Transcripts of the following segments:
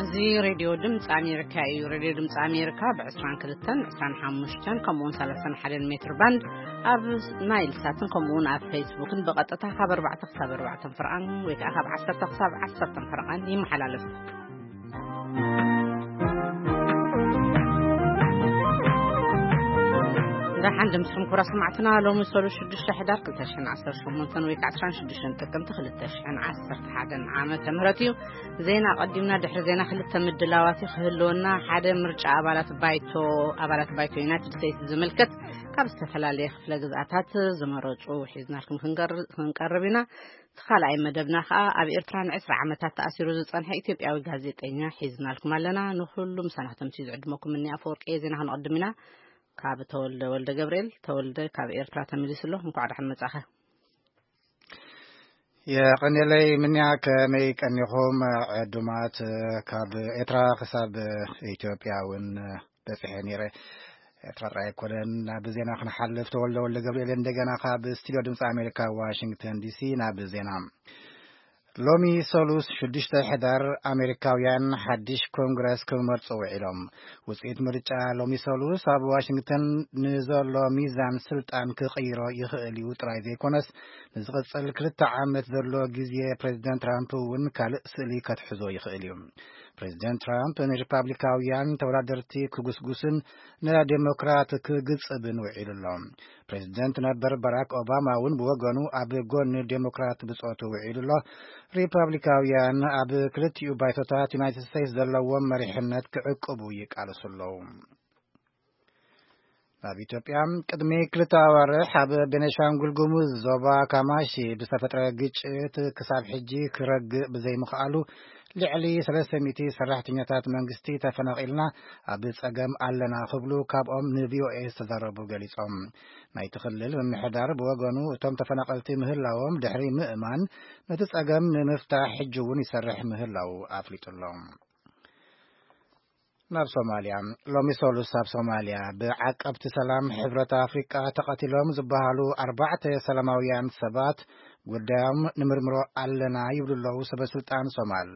እዚ ሬድዮ ድምፂ ኣሜሪካ እዩ። ሬድዮ ድምፂ ኣሜሪካ ብ22፣ 25 ከምኡውን 31 ሜትር ባንድ ኣብ ናይል ሳትን ከምኡውን ኣብ ፌስቡክን ብቐጥታ ካብ ኣርባዕተ ክሳብ ኣርባዕተ ፍርቓን ወይ ከዓ ካብ ዓሰርተ ክሳብ ዓሰርተ ፍርቓን ይመሓላለፍ። ደሓን ድምፅኹም ክቡራት ሰማዕትና፣ ሎሚ ሰሉስ ሽዱሽተ ሕዳር ክልተ ሽሕን ዓሰርተ ሸሞንተን ወይ ከዓ ዕስራን ሽዱሽተን ጥቅምቲ ክልተ ሽሕን ዓሰርተ ሓደን ዓመተ ምህረት እዩ። ዜና ኣቐዲምና፣ ድሕሪ ዜና ክልተ ምድላዋት ክህልወና። ሓደ፣ ምርጫ ኣባላት ባይቶ ኣባላት ባይቶ ዩናይትድ ስቴትስ ዝምልከት ካብ ዝተፈላለየ ክፍለ ግዝኣታት ዝመረፁ ሒዝናልኩም ክንቀር- ክንቀርብ ኢና። እቲ ካልኣይ መደብና ከዓ ኣብ ኤርትራ ንዕስራ ዓመታት ተኣሲሩ ዝጸንሐ ኢትዮጵያዊ ጋዜጠኛ ሒዝናልኩም ኣለና። ንኹሉ ምሳና ከተምስዩ ዝዕድመኩም እኒ ኣፈወርቂ ዜና ክንቕድም ኢና። ካብ ተወልደ ወልደ ገብርኤል። ተወልደ ካብ ኤርትራ ተመሊሱ ኣሎ። እንኳዕ ደሓን መጻኻ። የቐንየለይ ምንያ፣ ከመይ ቀኒኹም ዕዱማት? ካብ ኤርትራ ክሳብ ኢትዮጵያ እውን በጺሐ ነይረ። ኤርትራ ጥራይ ኣይኮነን። ናብ ዜና ክንሓልፍ፣ ተወልደ ወልደ ገብርኤል እንደገና ካብ ስቱዲዮ ድምፂ ኣሜሪካ ዋሽንግተን ዲሲ ናብ ዜና። ሎሚ ሰሉስ ሽዱሽተ ሕዳር ኣሜሪካውያን ሓድሽ ኮንግረስ ክመርፁ ውዒሎም። ውፅኢት ምርጫ ሎሚ ሰሉስ ኣብ ዋሽንግተን ንዘሎ ሚዛን ስልጣን ክቕይሮ ይኽእል እዩ ጥራይ ዘይኮነስ፣ ንዝቕፅል ክልተ ዓመት ዘሎ ግዜ ፕሬዚደንት ትራምፕ እውን ካልእ ስእሊ ከትሕዞ ይኽእል እዩ። ፕሬዚደንት ትራምፕ ንሪፓብሊካውያን ተወዳደርቲ ክጉስጉስን ንዴሞክራት ክግጽብን ውዒሉ ኣሎ። ፕሬዚደንት ነበር ባራክ ኦባማ እውን ብወገኑ ኣብ ጎኒ ዴሞክራት ብጾቱ ውዒሉ ኣሎ። ሪፓብሊካውያን ኣብ ክልቲኡ ባይቶታት ዩናይትድ ስቴትስ ዘለዎም መሪሕነት ክዕቅቡ ይቃለሱ ኣለዉ። ናብ ኢትዮጵያ፣ ቅድሚ ክልተ ኣዋርሕ ኣብ ቤኒሻንጉል ጉሙዝ ዞባ ካማሺ ብዝተፈጥረ ግጭት ክሳብ ሕጂ ክረግእ ብዘይምኽኣሉ፣ ልዕሊ ሰለስተ ሚእቲ ሰራሕተኛታት መንግስቲ ተፈናቒልና ኣብ ጸገም ኣለና ክብሉ ካብኦም ንቪኦኤ ዝተዛረቡ ገሊጾም። ናይቲ ክልል ምምሕዳር ብወገኑ፣ እቶም ተፈናቐልቲ ምህላዎም ድሕሪ ምእማን፣ ነቲ ጸገም ንምፍታሕ ሕጂ እውን ይሰርሕ ምህላዉ ኣፍሊጡ ኣሎ። ናብ ሶማልያ። ሎሚ ሰሉስ ኣብ ሶማልያ ብዓቀብቲ ሰላም ሕብረት ኣፍሪቃ ተቐቲሎም ዝበሃሉ ኣርባዕተ ሰላማውያን ሰባት ጉዳዮም ንምርምሮ ኣለና ይብሉ ኣለዉ ሰበ ስልጣን ሶማል።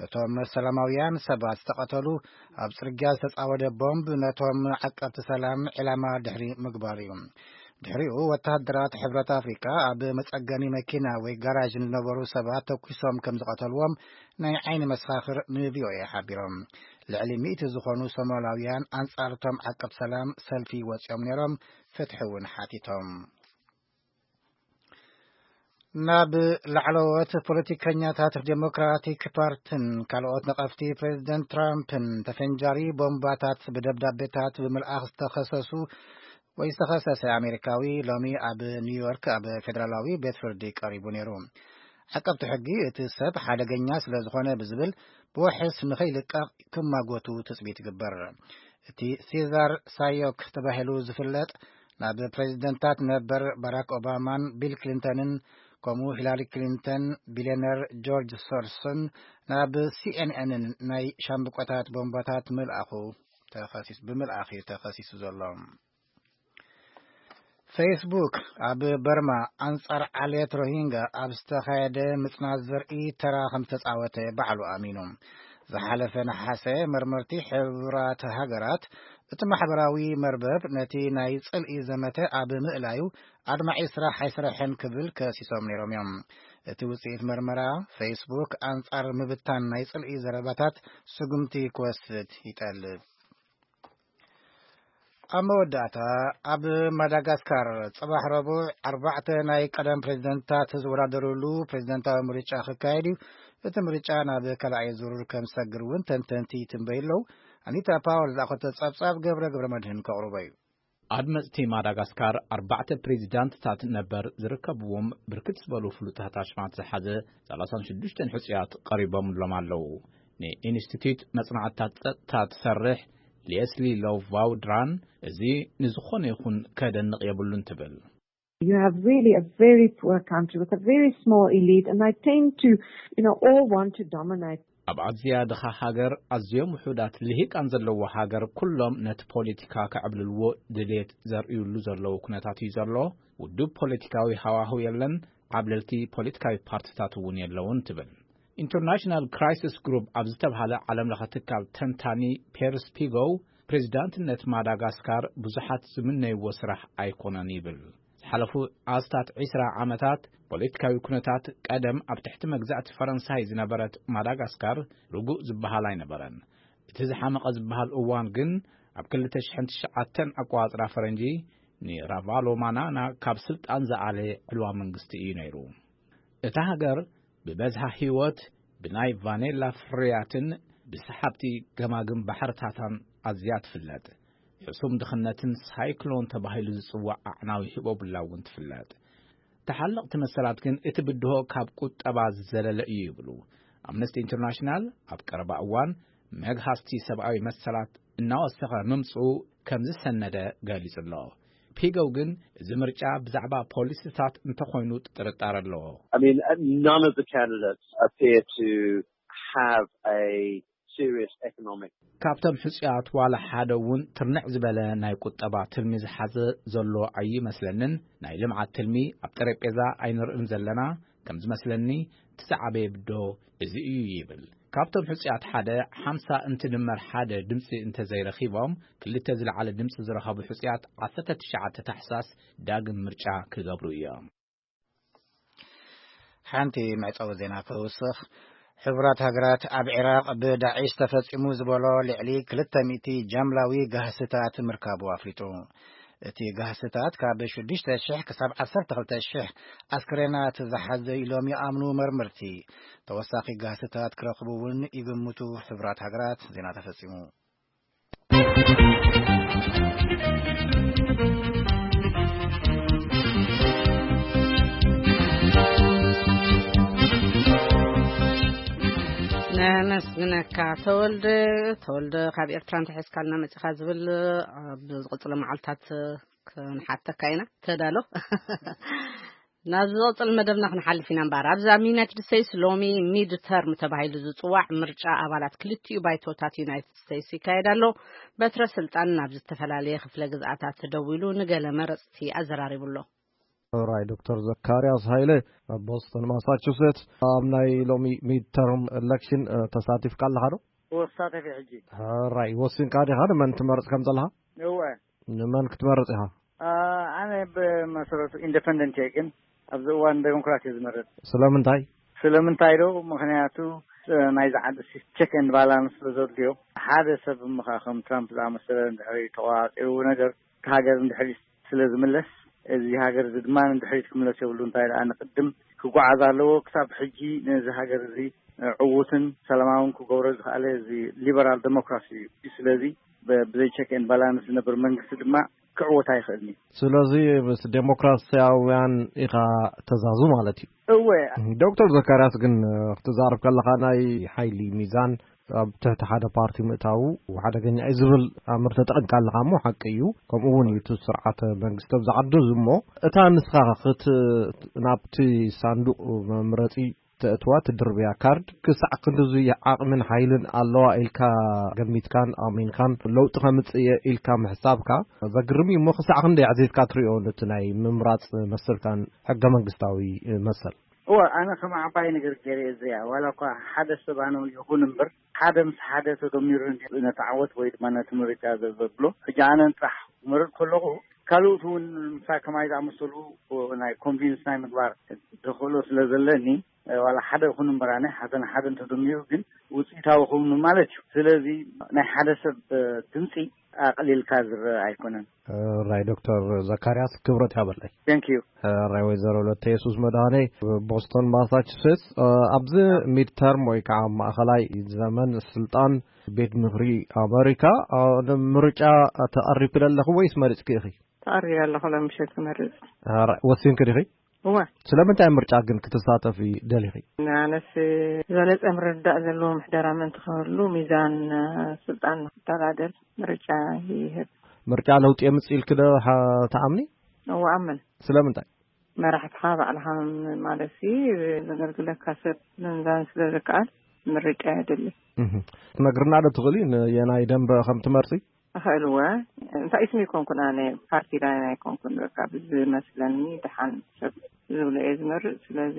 እቶም ሰላማውያን ሰባት ዝተቐተሉ፣ ኣብ ጽርግያ ዝተጻወደ ቦምብ ነቶም ዓቀብቲ ሰላም ዕላማ ድሕሪ ምግባሩ እዩ። ድሕሪኡ ወተሃደራት ሕብረት ኣፍሪቃ ኣብ መጸገኒ መኪና ወይ ጋራዥ ንዝነበሩ ሰባት ተኩሶም ከም ዝቐተልዎም ናይ ዓይኒ መሰኻኽር ንቪኦኤ ሓቢሮም። ልዕሊ ሚእቲ ዝኾኑ ሶማላውያን ኣንጻር እቶም ዓቀብ ሰላም ሰልፊ ወጺኦም ነይሮም፣ ፍትሒ እውን ሓቲቶም። ናብ ላዕለዎት ፖለቲከኛታት ዴሞክራቲክ ፓርትን ካልኦት ነቐፍቲ ፕሬዚደንት ትራምፕን ተፈንጃሪ ቦምባታት ብደብዳቤታት ብምልኣኽ ዝተኸሰሱ ወይ ዝተኸሰሰ ኣሜሪካዊ ሎሚ ኣብ ኒውዮርክ ኣብ ፌደራላዊ ቤት ፍርዲ ቀሪቡ ነይሩ። ዓቀብቲ ሕጊ እቲ ሰብ ሓደገኛ ስለ ዝኾነ ብዝብል ብዋሕስ ንኸይልቀቕ ክማጎቱ ትጽቢት ይግበር። እቲ ሴዛር ሳዮክ ተባሂሉ ዝፍለጥ ናብ ፕሬዚደንታት ነበር ባራክ ኦባማን ቢል ክሊንተንን ከምኡ ሂላሪ ክሊንተን ቢልዮነር ጆርጅ ሶርስን ናብ ሲኤንኤንን ናይ ሻምብቆታት ቦምባታት ምልኣኹ ተኸሲስ- ብምልኣኽ እዩ ተኸሲሱ ዘሎ። ፌስቡክ ኣብ በርማ ኣንጻር ዓሌት ሮሂንጋ ኣብ ዝተኻየደ ምጽናት ዘርኢ ተራ ከም ዝተጻወተ ባዕሉ ኣሚኑ። ዝሓለፈ ነሓሰ መርመርቲ ሕቡራት ሃገራት እቲ ማሕበራዊ መርበብ ነቲ ናይ ጽልኢ ዘመተ ኣብ ምእላዩ ኣድማዒ ስራሕ ኣይሰረሐን ክብል ከሲሶም ነይሮም እዮም። እቲ ውጽኢት መርመራ ፌስቡክ ኣንጻር ምብታን ናይ ጽልኢ ዘረባታት ስጉምቲ ክወስድ ይጠልብ። ኣብ መወዳእታ፣ ኣብ ማዳጋስካር ጽባሕ ረቡዕ ኣርባዕተ ናይ ቀደም ፕሬዚደንትታት ዝወዳደሩሉ ፕሬዚደንታዊ ምርጫ ክካየድ እዩ። እቲ ምርጫ ናብ ካልኣይ ዙር ከም ዝሰግር እውን ተንተንቲ ይትንበዩ ኣለዉ። ኣኒታ ፓወር ዝኣኸቶ ጸብጻብ ገብረ ገብረ መድህን ከቕርቦ እዩ። ኣድመጽቲ ማዳጋስካር ኣርባዕተ ፕሬዚዳንትታት ነበር ዝርከብዎም ብርክት ዝበሉ ፍሉጣት ኣሽማት ዝሓዘ ሰላሳን ሽዱሽተን ሕጹያት ቀሪቦምሎም ኣለዉ። ንኢንስቲትዩት መጽናዕትታት ጸጥታ ትሰርሕ ሌስሊ ሎቭ ቫውድራን፣ እዚ ንዝኾነ ይኹን ከደንቕ የብሉን ትብል። You have really a very poor country with a very small elite, and I tend to, you know, all want to dominate. ኣብ ኣዝያ ድኻ ሃገር ኣዝዮም ውሑዳት ልሂቃን ዘለዎ ሃገር ኩሎም ነቲ ፖለቲካ ከዕብልልዎ ድሌት ዘርእዩሉ ዘለዉ ኩነታት እዩ ዘሎ። ውዱብ ፖለቲካዊ ሃዋህው የለን፣ ዓብለልቲ ፖለቲካዊ ፓርትታት እውን የለውን ትብል። ኢንተርናሽናል ክራይሲስ ግሩፕ ኣብ ዝተብሃለ ዓለም ለኸ ትካል ተንታኒ ፔርስ ፒጎው ፕሬዚዳንትነት ማዳጋስካር ብዙሓት ዝምነይዎ ስራሕ ኣይኮነን ይብል። ዝሓለፉ ኣስታት ዒስራ ዓመታት ፖለቲካዊ ኩነታት ቀደም ኣብ ትሕቲ መግዛእቲ ፈረንሳይ ዝነበረት ማዳጋስካር ርጉእ ዝበሃል ኣይነበረን። እቲ ዝሓመቐ ዝበሃል እዋን ግን ኣብ ክልተ ሽሕን ትሽዓተን ኣቋጽራ ፈረንጂ ንራቫሎማናና ካብ ስልጣን ዝኣለ ዕልዋ መንግስቲ እዩ ነይሩ። እታ ሃገር ብበዝሃ ህይወት ብናይ ቫኔላ ፍርያትን ብሰሓብቲ ገማግም ባሕርታታን ኣዝያ ትፍለጥ። ሕሱም ድኽነትን ሳይክሎን ተባሂሉ ዝጽዋዕ ኣዕናዊ ህቦብላ እውን ትፍለጥ። ተሓለቕቲ መሰላት ግን እቲ ብድሆ ካብ ቁጠባ ዝዘለለ እዩ ይብሉ። ኣምነስቲ ኢንተርናሽናል ኣብ ቀረባ እዋን መግሃስቲ ሰብኣዊ መሰላት እናወሰኸ ምምጽኡ ከም ዝሰነደ ገሊጹ ኣሎ። ፒጎው ግን እዚ ምርጫ ብዛዕባ ፖሊሲታት እንተኾይኑ ጥርጣረ ኣለዎ። I mean, uh, none of the candidates appear to have a serious economic ካብቶም ሕጹያት ዋላ ሓደ እውን ትርንዕ ዝበለ ናይ ቁጠባ ትልሚ ዝሓዘ ዘሎ ኣይመስለንን። ናይ ልምዓት ትልሚ ኣብ ጠረጴዛ ኣይንርእን ዘለና። ከም ዝመስለኒ እቲ ዝዓበየ ብድሆ እዚ እዩ ይብል። ካብቶም ሕጹያት ሓደ ሓምሳ እንትድመር ሓደ ድምጺ እንተዘይረኺቦም፣ ክልተ ዝለዓለ ድምጺ ዝረኸቡ ሕጹያት ዓሰርተ ትሽዓተ ታሕሳስ ዳግም ምርጫ ክገብሩ እዮም። ሓንቲ መዕጸዊ ዜና ክውስኽ። ሕቡራት ሃገራት ኣብ ዒራቕ ብዳዒሽ ተፈጺሙ ዝበሎ ልዕሊ ክልተ ሚእቲ ጃምላዊ ጋህስታት ምርካቡ ኣፍሊጡ። እቲ ጋህስታት ካብ ሽዱሽተ ሽሕ ክሳብ ዓሰርተ ክልተ ሽሕ ኣስክሬናት ዝሓዘ ኢሎም ይኣምኑ መርመርቲ። ተወሳኺ ጋህስታት ክረኽቡ እውን ይግምቱ ሕቡራት ሃገራት። ዜና ተፈጺሙ። ነመስግነካ ተወልደ። ተወልደ ካብ ኤርትራ እንተሒዝካልና መጺኻ ዝብል ኣብ ዝቕጽሎ መዓልታት ክንሓተካ ኢና። ተዳሎ። ናብ ዝቕጽል መደብና ክንሓልፍ ኢና እምበኣር፣ ኣብዚ ኣብ ዩናይትድ ስቴትስ ሎሚ ሚድ ተርም ተባሂሉ ዝጽዋዕ ምርጫ ኣባላት ክልቲኡ ባይቶታት ዩናይትድ ስቴትስ ይካየድ ኣሎ። በትረ ስልጣን ናብ ዝተፈላለየ ክፍለ ግዝኣታት ደዊሉ ንገለ መረጽቲ ኣዘራሪቡ ኣሎ። ራይ ዶክተር ዘካርያስ ሃይለ ኣብ ቦስተን ማሳቹሴትስ ኣብ ናይ ሎሚ ሚድ ተርም ኤሌክሽን ተሳቲፍካ ኣለኻ ዶ? ወሳተፊ ሕጂ። ሕራይ፣ ወሲንካ ዲኻ ንመን ትመርጽ ከም ዘለኻ? እወ። ንመን ክትመርጽ ኢኻ? ኣ፣ ኣነ ብመሰረቱ ኢንዲፐንደንት እየ፣ ግን ኣብዚ እዋን ዴሞክራት እየ ዝመርጽ። ስለምንታይ? ስለምንታይ ዶ? ምኽንያቱ፣ እ፣ ናይዚ ዓዲ ሲ-፣ ቸክ ኤንድ ባላንስ ስለ ዘድልዮ፣ ሓደ ሰብ እሞ ኸኣ ከም ትራምፕ ዝኣመሰለ እንድሕሪ ተቆጻጺሩ ነገር፣ እቲ ሃገር እንድሕሪ ስለ ዝምለስ፣ እዚ ሃገር እዚ ድማ ንድሕሪት ክምለስ የብሉ። እንታይ ደኣ ንቅድም ክጓዓዝ ኣለዎ። ክሳብ ሕጂ ነዚ ሃገር እዚ ዕዉትን ሰላማውን ክገብሮ ዝኸኣለ እዚ ሊበራል ዴሞክራሲ እዩ። ስለዚ ብ-፣ ብዘይ ቸክ ኤንድ ባላንስ ዝነብር መንግስቲ ድማ ክዕወት ኣይኽእልን እዩ። ስለዚ ምስ ዴሞክራሲያውያን ኢኻ ተዛዙ ማለት እዩ። እወ። ዶክተር ዘካርያስ ግን ክትዛረብ ከለኻ ናይ ሓይሊ ሚዛን ኣብ ትሕቲ ሓደ ፓርቲ ምእታዉ ሓደገኛ እዩ ዝብል ኣምር ተጠቒምካ ኣለኻ እሞ ሓቂ እዩ። ከምኡ እውን እዩ እቲ ስርዓተ መንግስቲ ኣብዚ ዓዲ እዚ እሞ እታ ንስኻ ክት-፣ ናብቲ ሳንዱቕ መምረጺ ተእትዋ ትድርብያ ካርድ ክሳዕ ክንድዚ ዓቕምን ሓይልን ኣለዋ ኢልካ ገሚትካን ኣሚንካን ለውጢ ከምጽእ እየ ኢልካ ምሕሳብካ ዘግርም እዩ እሞ ክሳዕ ክንደይ ኣዕዚዝካ ትሪኦ ነቲ ናይ ምምራጽ መሰልካን ሕገ መንግስታዊ መሰል? እወ፣ ኣነ ከም ዓባይ ነገር ገይረ እየ ዝሪኣ። ዋላ እኳ ሓደ ሰብ ኣነ ይኹን እምበር፣ ሓደ ምስ ሓደ ተደሚሩ ነቲ ዓወት ወይ ድማ ነቲ ምርጫ ዘ-፣ ዘብሎ። ሕጂ ኣነ ጥራሕ ክመርጽ ከለኹ፣ ካልኦት እውን ምሳይ ከማይ ዝኣመሰሉ ናይ ኮንቪንስ ናይ ምግባር ተኽእሎ ስለ ዘለኒ፣ ዋላ ሓደ ይኹን እምበር፣ ኣነ ሓደ ንሓደ እንተደሚሩ ግን ውፅኢታዊ ክውን ማለት እዩ። ስለዚ ናይ ሓደ ሰብ ድምፂ ኣቕሊልካ ዝረአ ኣይኮነን። ራይ ዶክተር ዘካርያስ ክብረት ያበለይ። Thank you። ራይ ወይዘሮ ለተ የሱስ መድሃኔ ቦስቶን ማሳቹሴትስ፣ ኣብዚ ሚድ ተርም ወይ ከዓ ማእኸላይ ዘመን ስልጣን ቤት ምኽሪ ኣመሪካ ምርጫ ተቐሪብኪ ኣለኺ ወይስ መሪፅኪ ኢኺ? ተቐሪበ ኣለኹ፣ ሎም ምሸት ክመርፅ። ራይ ወሲንኪ ዲኺ? እወ። ስለምንታይ ምርጫ ግን ክትሳተፊ ደሊኺ? ንኣነስ ዝበለፀ ምርዳእ ዘለዎ ምሕደራ ምእንቲ ክህሉ ሚዛን ስልጣን ንክተዳደል ምርጫ ይህብ። ምርጫ ለውጢ የምፅእ ኢልኪ ዶ ሓ-፣ ትኣምኒ? እወ ኣምን። ስለምንታይ? መራሕትኻ ባዕልኻ ማለት ሲ ዘገልግለካ ሰብ ምምዛን ስለ ዝከኣል ምርጫ የድሊ። እህ፣ ትነግርና ዶ ትኽእሊ ንየናይ ደንበ ከም ትመርጺ? እኽእል እወ። እንታይ ስሚ ኣይኮንኩን ኣነ፣ ፓርቲ ላይን ኣይኮንኩን። በቃ ብዝመስለኒ፣ ደሓን ሰብ ዝብሎ እየ ዝመርጽ። ስለዚ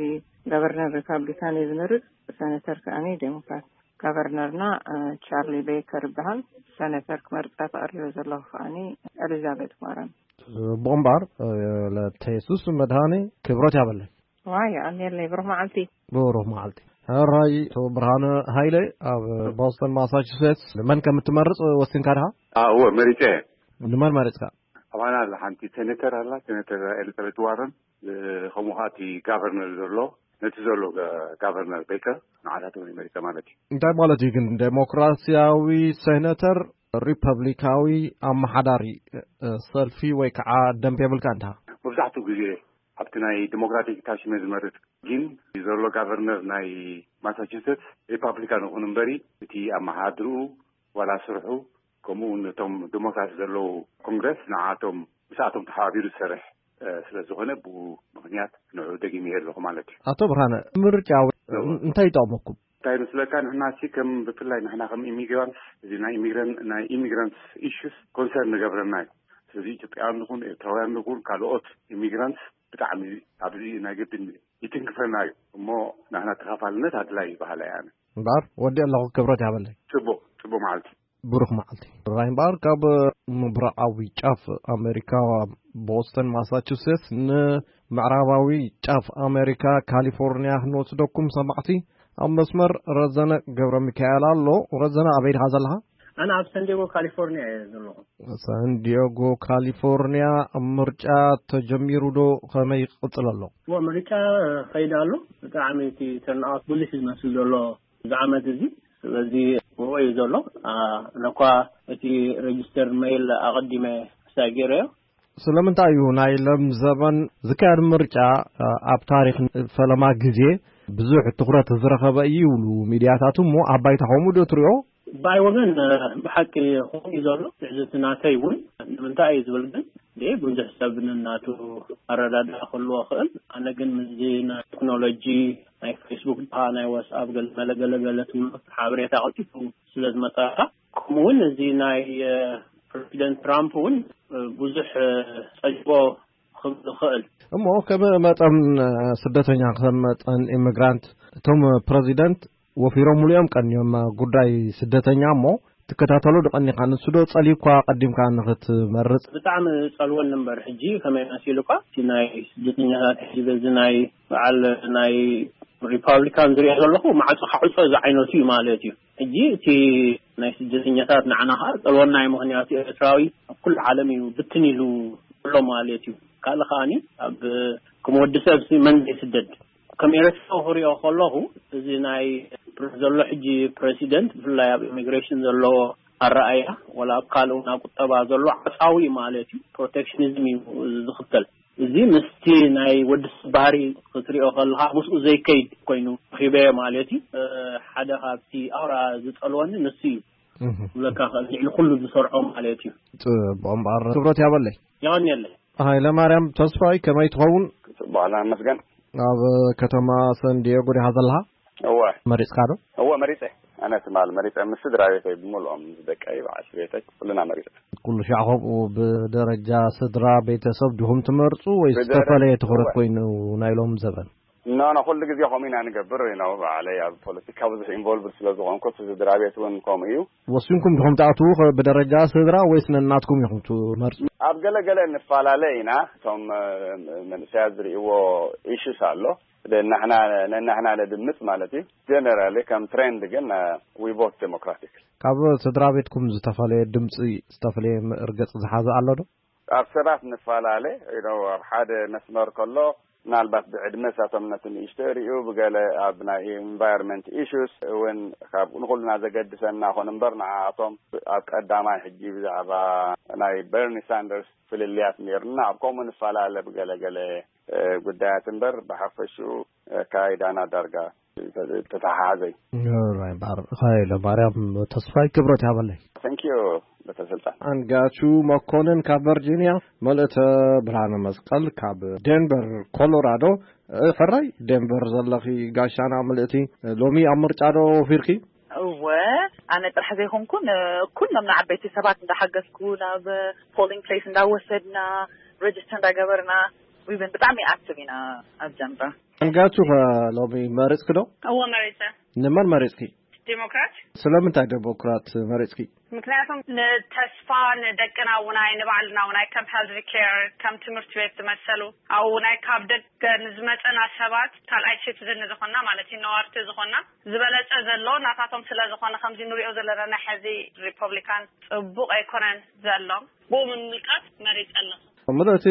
ጋቨርነር ሪፓብሊካን እየ ዝመርጽ፣ ሰነተር ከኣኒ ዴሞክራት። ጋቨርነርና እ፣ ቻርሊ ቤከር ይበሃል። ሰነተር ክመርጻ ተቐሪበ ዘለኹ ከኣኒ ኤሊዛቤት ዋረን። ብቕምባር ለተየሱስ መድሃኒ ክብረት ያበለይ። ዋይ ኣሜለይ፣ ብሩኽ መዓልቲ። ብሩኽ መዓልቲ። ሕራይ ብርሃነ ሃይለ ኣብ ቦስተን ማሳቹሴትስ ንመን ከም እትመርጽ ወሲንካ ድኻ? እወ፣ መሪጸ። ንመን መሪጽካ? ኣባና ኣላ ሓንቲ ሴኔተር ኣላ፣ ሴኔተር ኤሊዛቤት ዋረን። ከምኡ ከዓ እቲ ጋቨርነር ዘሎ፣ ነቲ ዘሎ ጋቨርነር ቤከር፣ ንዓታቶም መሪጸ ማለት እዩ። እንታይ ማለት እዩ ግን? ዴሞክራሲያዊ ሴኔተር፣ ሪፐብሊካዊ ኣመሓዳሪ ሰልፊ ወይ ከዓ ደንብ የብልካ እንታ? መብዛሕትኡ ግዜ ኣብቲ ናይ ዲሞክራቲክ ታሽመ ዝመርጥ፣ ግን ዘሎ ጋቨርነር ናይ ማሳቹሴትስ ሪፓብሊካን ይኹን እምበሪ፣ እቲ ኣመሓድርኡ ዋላ ስርሑ፣ ከምኡ እውን እቶም ዲሞክራት ዘለዉ ኮንግረስ ንዓቶም ምስኣቶም ተሓባቢሩ ዝሰርሕ ስለ ዝኾነ፣ ብኡ ምኽንያት ንዑ ደጊመ ኣለኹ ማለት እዩ። ኣቶ ብርሃነ፣ ምርጫ እንታይ ይጠቕመኩም? እንታይ ይመስለካ? ንሕና ሲ ከም ብፍላይ ንሕና ከም ኢሚግራንትስ፣ እዚ ናይ ኢሚግራን ናይ ኢሚግራንትስ ኢሹስ ኮንሰርን ንገብረና እዩ። ስለዚ ኢትዮጵያውያን ንኹን ኤርትራውያን ንኹን ካልኦት ኢሚግራንትስ ብጣዕሚ ኣብዚ ናይ ግድን ይትንክፈና እዩ። እሞ ንሕና ተኻፋልነት ኣድላይ ይበሃል ኣነ። እምበኣር ወዲ ኣለኹ፣ ክብረት ያበለይ። ጽቡቕ ጽቡቕ መዓልቲ። ብሩኽ መዓልቲ። ራይንባር ካብ ምብራቓዊ ጫፍ ኣሜሪካ፣ ቦስተን ማሳቹሴትስ፣ ንምዕራባዊ ጫፍ ኣሜሪካ ካሊፎርኒያ ክንወስደኩም ሰማዕቲ። ኣብ መስመር ረዘነ ገብረ ሚካኤል ኣሎ። ረዘነ፣ ኣበይ ድኻ ዘለኻ? ኣነ ኣብ ሳንዲያጎ ካሊፎርኒያ እየ ዘለኹ። ሳንዲያጎ ካሊፎርኒያ፣ ምርጫ ተጀሚሩ ዶ? ከመይ ይቕጽል ኣሎ? እዎ፣ ምርጫ ከይድ ኣሎ። ብጣዕሚ እቲ ተርንኣውት ብሉሕ እዩ ዝመስል ዘሎ እዚ ዓመት እዚ። ስለዚ ብኡ እዩ ዘሎ። ኣነ እኳ እቲ ሬጅስተር ሜይል ኣቐዲመ ሳይ ገይረዮ። ስለምንታይ እዩ ናይ ሎም ዘበን ዝካየድ ምርጫ ኣብ ታሪኽ ፈለማ ግዜ ብዙሕ ትኹረት ዝረኸበ እዩ ይብሉ ሚድያታት፣ እሞ ኣብ ባይታ ከምኡ ዶ ትሪኦ? ብኣይ ወገን ብሓቂ ከምኡ እዩ ዘሎ። ትዕዝብቲ ናተይ እውን ንምንታይ እዩ ዝብል ግን፣ ብዙሕ ሰብ ንናቱ ኣረዳድኣ ክህልዎ ይኽእል። ኣነ ግን ምስዚ ናይ ቴክኖሎጂ ናይ ፌስቡክ ድኻ ናይ ዋትስኣፕ ገለ መለ ገለ ገለ ትብሎ ሓበሬታ ቀልጢፉ ስለ ዝመጻካ፣ ከምኡ እውን እዚ ናይ ፕረዚደንት ትራምፕ እውን ብዙሕ ጸጅቦ ክብል ይኽእል። እሞ ከም መጠን ስደተኛ፣ ከም መጠን ኢሚግራንት፣ እቶም ፕረዚደንት ወፊሮምሉ እዮም ቀንዮም ጉዳይ ስደተኛ። እሞ ትከታተሎ ዶ ቀኒኻ? ንሱ ዶ ጸሊእኳ ቀዲምካ ንኽትመርጽ? ብጣዕሚ ጸልወኒ እምበር፣ ሕጂ ከመይ መሲሉካ፣ እቲ ናይ ስደተኛታት ሕጂ በዚ ናይ በዓል ናይ ሪፓብሊካን ዝሪኦ ዘለኹ፣ ማዕጾ ካዕጾ ዝዓይነቱ እዩ ማለት እዩ። ሕጂ እቲ ናይ ስደተኛታት ንዓና ከዓ ጸልወና እዩ። ምኽንያቱ ኤርትራዊ ኣብ ኩሉ ዓለም እዩ ብትን ኢሉ ኣሎ ማለት እዩ። ካልእ ከዓኒ ኣብ ከም ወዲ ሰብ ሲ መን ዘይስደድ? ከም ኤርትራዊ ክሪኦ ከለኹ፣ እዚ ናይ ፕረ-፣ ዘሎ ሕጂ ፕረሲደንት፣ ብፍላይ ኣብ ኢሚግሬሽን ዘለዎ ኣረኣእያ፣ ወላ ኣብ ካልእ እውን ኣብ ቁጠባ ዘሎ ዓጻዊ ማለት እዩ። ፕሮቴክሽኒዝም እዩ ዝኽተል። እዚ ምስቲ ናይ ወዲ ሰብ ባህሪ ክትሪኦ ከለኻ፣ ምስኡ ዘይከይድ ኮይኑ ረኺበዮ ማለት እዩ። እ፣ ሓደ ካብቲ ኣውራ ዝጸልወኒ ንሱ እዩ። እህ። ክብለካ ክእል፣ ልዕሊ ኩሉ ዝሰርዖ ማለት እዩ። ጽቡቕ እምበኣር ክብረት ያበለይ። የቐንየለይ። ሃይለ ማርያም ተስፋይ ከመይ ትኸውን? ጽቡቕ ኣላ መስገን። ኣብ ከተማ ሰን ዲየጎ ዲኻ ዘለኻ? እወ። መሪጽካ ዶ? እወ መሪጸ። ኣነ ትማል መሪጸ፣ ምስ ስድራ ቤተይ ብምልኦም፣ ምስ ደቀይ፣ በዓልቲ ቤተይ፣ ኩልና መሪጸ። ኩሉ ሻዕ ከምኡ ብደረጃ ስድራ ቤተሰብ ዲኹም ትመርጹ ወይስ ብደረ-፣ ዝተፈለየ ትኹረት እወ። ኮይኑ ናይ ሎም ዘበን? ኖ፣ ኖ፣ ኩሉ ግዜ ከምኡ ኢና ንገብር። ኖ፣ ባዕለይ ኣብ ፖለቲካ ብዙሕ ኢንቮልቭድ ስለ ዝኾንኩ፣ እቲ ስድራ ቤት እውን ከምኡ እዩ። ወሲንኩም ዲኹም ትኣትዉ ኸ ብደረጃ ስድራ ወይስ ነናትኩም ኢኹም ትመርጹ? ኣብ ገለ ገለ ንፈላለ ኢና። እቶም፣ እ፣ መንእሰያት ዝርእይዎ ኢሹስ ኣሎ። ነናሕና፣ ነናሕና ነድምጽ ማለት እዩ። ጀነራሊ ከም ትሬንድ ግን፣ እ፣ ዊ ቮት ዴሞክራቲክ። ካብ ስድራ ቤትኩም ዝተፈለየ ድምጺ፣ ዝተፈለየ ርገጽ ዝሓዘ ኣሎ ዶ? ኣብ ሰባት ንፈላለ፣ you know፣ ኣብ ሓደ መስመር ከሎ፣ ምናልባት ብዕድመ ሳቶም ነቲ ንእሽቶ ይርእዩ፣ ብገለ ኣብ ናይ ኢንቫይሮንመንት ኢሹስ እውን ካብ ንኹልና ዘገድሰና ኾን እምበር፣ ንዓኣቶም ኣብ ቀዳማይ ሕጂ ብዛዕባ ናይ በርኒ ሳንደርስ ፍልልያት ነይሩና፣ ኣብ ከምኡ ንፈላለ ብገለ ገለ፣ እ፣ ጉዳያት እምበር፣ ብሓፈሽኡ ኣካይዳና ዳርጋ ተተሓሓዘ እዩ። ኦራይ፣ እምበኣር ሃይለ ማርያም ተስፋይ ክብረት ያበለይ። Thank you። ተሰልጣ። ኣንጋቹ መኮንን ካብ ቨርጂኒያ፣ መልእተ ብርሃነ መስቀል ካብ ዴንቨር ኮሎራዶ። ሕራይ ዴንቨር ዘለኺ ጋሻና፣ ምልእቲ ሎሚ ኣብ ምርጫ ዶ ወፊርኪ? እወ፣ ኣነ ጥራሕ ዘይኮንኩን ኩሎም ንዓበይቲ ሰባት እንዳሓገዝኩ ናብ ፖሊንግ ፕሌስ እንዳወሰድና፣ ሬጅስተር እንዳገበርና፣ ዊብን ብጣዕሚ ኣክቲቭ ኢና ኣብ ጀንባ። ኣንጋቹ ከ ሎሚ መሪጽኪ ዶ? እወ መሪጸ። ንመን መሪጽኪ? ዲሞክራት። ስለምንታይ ዲሞክራት መሪጽኪ? ምክንያቱም ንተስፋ ንደቅና ውናይ ንባዕልና ውናይ ከም ሄልዝ ኬር ከም ትምህርቲ ቤት ዝመሰሉ ኣብኡ ናይ ካብ ደገ ንዝመፀና ሰባት ካልኣይ ሲቲዝን ዝኾና ማለት እዩ ነዋርቲ ዝኾና ዝበለፀ ዘሎ ናታቶም ስለ ዝኾነ ከምዚ ንሪኦ ዘለና ናይ ሕዚ ሪፐብሊካን ፅቡቅ ኣይኮነን ዘሎ። ብኡ ምምልካት መሪፀ ኣለኹ። ምልእቲ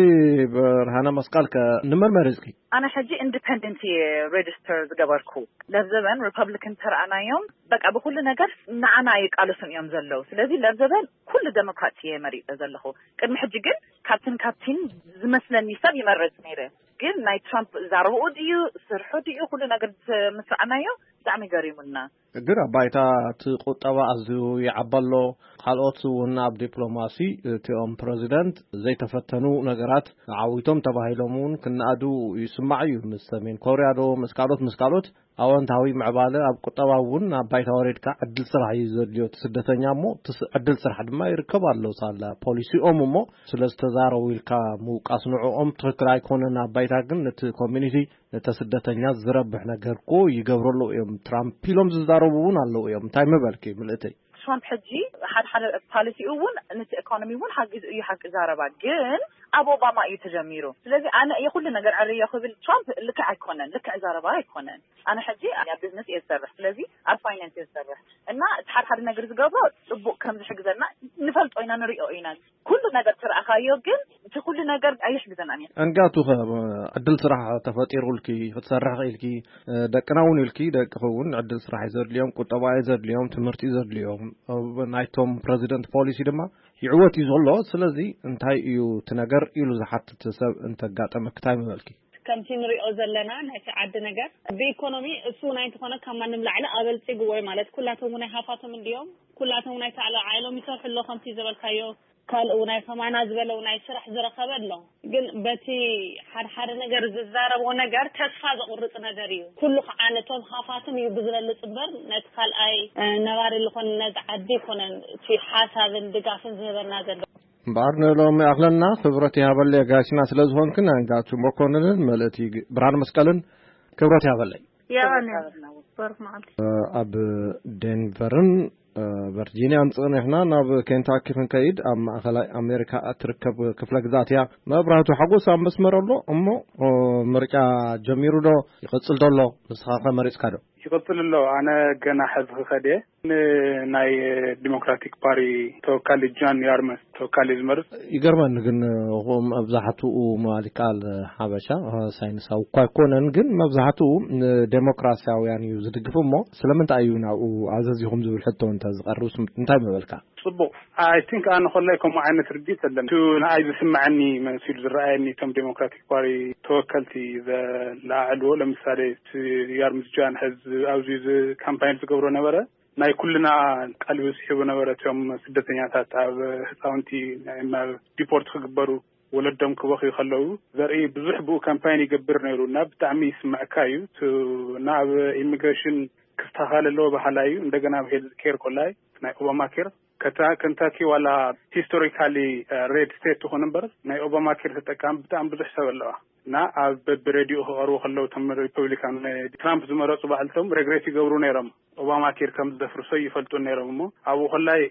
ብርሃነ መስቀል ከ ንመን መሪጽኪ? ኣነ ሕጂ ኢንዲፐንደንት እየ ሬጅስተር ዝገበርኩ። ለብዘበን ሪፐብሊክን ተረኣናዮም በቃ ብኩሉ ነገር ንዓና ይቃለሱን እዮም ዘለዉ። ስለዚ ለብዘበን ኩሉ ዴሞክራት እየ መሪጸ ዘለኹ። ቅድሚ ሕጂ ግን ካብትን ካብቲን ዝመስለኒ ሰብ ይመርጽ ነይረ። ግን ናይ ትራምፕ ዛረብኡ ድዩ ስርሑ ድዩ ኩሉ ነገር ምስ ረኣናዮ ብጣዕሚ ገሪሙና። ግን ኣብ ባይታ እቲ ቁጠባ ኣዝዩ ይዓቢ ኣሎ። ካልኦት እውን ኣብ ዲፕሎማሲ እቲኦም ፕረዚደንት ዘይተፈተኑ ነገራት ዓዊቶም ተባሂሎም እውን ክነኣዱ ይስማዕ እዩ። ምስ ሰሜን ኮርያ ዶ ምስ ካልኦት ምስ ካልኦት ኣወንታዊ ምዕባለ ኣብ ቁጠባ እውን ኣብ ባይታ ወሪድካ ዕድል ስራሕ እዩ ዘድልዮ እቲ ስደተኛ እሞ እቲ ስ- ዕድል ስራሕ ድማ ይርከብ ኣሎ ሳላ ፖሊሲኦም እሞ ስለ ዝተዛረቡ ኢልካ ምውቃስ ንዕኦም ትኽክል ኣይኮነን። ኣብ ባይታ ግን ነቲ ኮሚኒቲ ነተ ስደተኛ ዝረብሕ ነገር እኮ ይገብሩ ኣለዉ እዮም። ትራምፕ ኢሎም ዝዛረቡ እውን ኣለዉ እዮም። እንታይ ምበልኪ ምልእተይ? ትራምፕ ሕጂ ሓደ ሓደ ፓሊሲኡ እውን ነቲ ኢኮኖሚ እውን ሓጊዙ እዩ ሓቂ ዛረባ ግን ኣብ ኦባማ እዩ ተጀሚሩ። ስለዚ ኣነ እየ ኩሉ ነገር ዕርዮ ክብል ትራምፕ ልክዕ ኣይኮነን፣ ልክዕ ዛረባ ኣይኮነን። ኣነ ሕጂ ኣብ ቢዝነስ እየ ዝሰርሕ፣ ስለዚ ኣብ ፋይናንስ እየ ዝሰርሕ እና እቲ ሓደ ሓደ ነገር ዝገብሮ ፅቡቅ ከም ዝሕግዘና ንፈልጦ ኢና ንሪኦ ኢና። ኩሉ ነገር ትረኣኻዮ ግን እቲ ኩሉ ነገር ኣይሕግዘናን እዩ። እንጋቱ ኸ ዕድል ስራሕ ተፈጢሩልኪ ክትሰርሕ ክኢልኪ ደቅና እውን ኢልኪ ደቅኺ እውን ዕድል ስራሕ እዩ ዘድልዮም፣ ቁጠባ እዩ ዘድልዮም፣ ትምህርቲ እዩ ዘድልዮም። ናይቶም ፕረዚደንት ፖሊሲ ድማ ይዕወት እዩ ዘሎ። ስለዚ እንታይ እዩ እቲ ነገር ኢሉ ዝሓትት ሰብ እንተጋጠመ ክታይ ምበልኪ? ከምቲ ንሪኦ ዘለና ናይቲ ዓዲ ነገር ብኢኮኖሚ እሱ ናይ እንተኾነ ካብ ማንም ላዕሊ ኣበልፂግዎ እዩ ማለት ኩላቶም ናይ ሃፋቶም እንዲዮም ኩላቶም ናይ ታዕሎ ዓይሎም ይሰርሑ ኣሎ ከምቲ ዝበልካዮ ካልኡ ናይ ከማና ዝበለው ናይ ስራሕ ዝረኸበ ኣሎ። ግን በቲ ሓደ ሓደ ነገር ዝዛረቦ ነገር ተስፋ ዘቑርጽ ነገር እዩ። ኩሉ ከዓ ነቶም ሃፋትም እዩ ብዝበልጽ እምበር ነቲ ካልኣይ ነባሪ ዝኾነ ነዚ ዓዲ ይኮነን እቲ ሓሳብን ድጋፍን ዝህበና ዘሎ። እምበኣር ንሎሚ ኣኽለና ክብረት ይሃበለይ ኣጋይሽና ስለ ዝኾንክን ኣንጋቱ መኮንንን መልእቲ ብርሃን መስቀልን ክብረት ይሃበለይ። ያባን በርክ መዓልቲ። ኣብ ዴንቨርን ቨርጂኒያን ጽኒሕና ናብ ኬንታኪ ክንከይድ ኣብ ማእኸላይ ኣሜሪካ እትርከብ ክፍለ ግዛት እያ። መብራህቱ ሓጎስ ኣብ መስመር ኣሎ እሞ ምርጫ ጀሚሩ ዶ ይቕጽል ዶ ኣሎ? ንስኻ ከ መሪጽካ ዶ? ይቕጽል ኣሎ። ኣነ ገና ሕዚ ክኸድ እየ። ንናይ ዲሞክራቲክ ፓሪ ተወካሊ ጃን ያርመስ ተወካሊ ዝመርጽ። ይገርመኒ ግን መብዛሕትኡ ምባል ይከኣል ሓበሻ ሳይንሳዊ እኳ ኣይኮነን ግን መብዛሕትኡ ንዴሞክራሲያውያን እዩ ዝድግፍ እሞ ስለምንታይ እዩ ናብኡ ኣዘዚኹም ዝብል ሕቶ እንተ ዝቐርብ እንታይ ምበልካ? ጽቡቕ። ኣይ ቲንክ ኣነ ኮላይ ከምኡ ዓይነት ርድኢት የለን። እቲ ንኣይ ዝስምዐኒ መሲሉ ዝረኣየኒ እቶም ዴሞክራቲክ ፓሪ ተወከልቲ ዘለዓዕልዎ ለምሳሌ እቲ ያርምዝ ጃን ሕዚ ኣብዚ ካምፓይን ዝገብሮ ነበረ ናይ ኩልና ቀልቢ ስሒቡ ነበረ። እቶም ስደተኛታት ኣብ ህፃውንቲ ዲፖርት ክግበሩ ወለዶም ክበኽዩ ከለዉ ዘርኢ ብዙሕ ብኡ ካምፓይን ይገብር ነይሩ እና ብጣዕሚ ይስምዐካ እዩ። ናብ ኢሚግሬሽን ክስተኻል ኣለዎ በሃላይ እዩ። እንደገና ኣብ ሄልዝ ኬር ኮላይ ናይ ኦባማ ኬር ከንታኪ ዋላ ሂስቶሪካሊ ሬድ ስቴት ትኾን እምበር ናይ ኦባማ ኬር ተጠቃሚ ብጣዕሚ ብዙሕ ሰብ ኣለዋ እና ኣብ በብሬድዮ ክቐርቡ ከለዉ እቶም ሪፐብሊካን ትራምፕ ዝመረፁ ባዕልቶም ሬግሬት ይገብሩ ነይሮም። ኦባማ ኬር ከም ዘፍርሶ ይፈልጡ ነይሮም እሞ ኣብኡ ኮላይ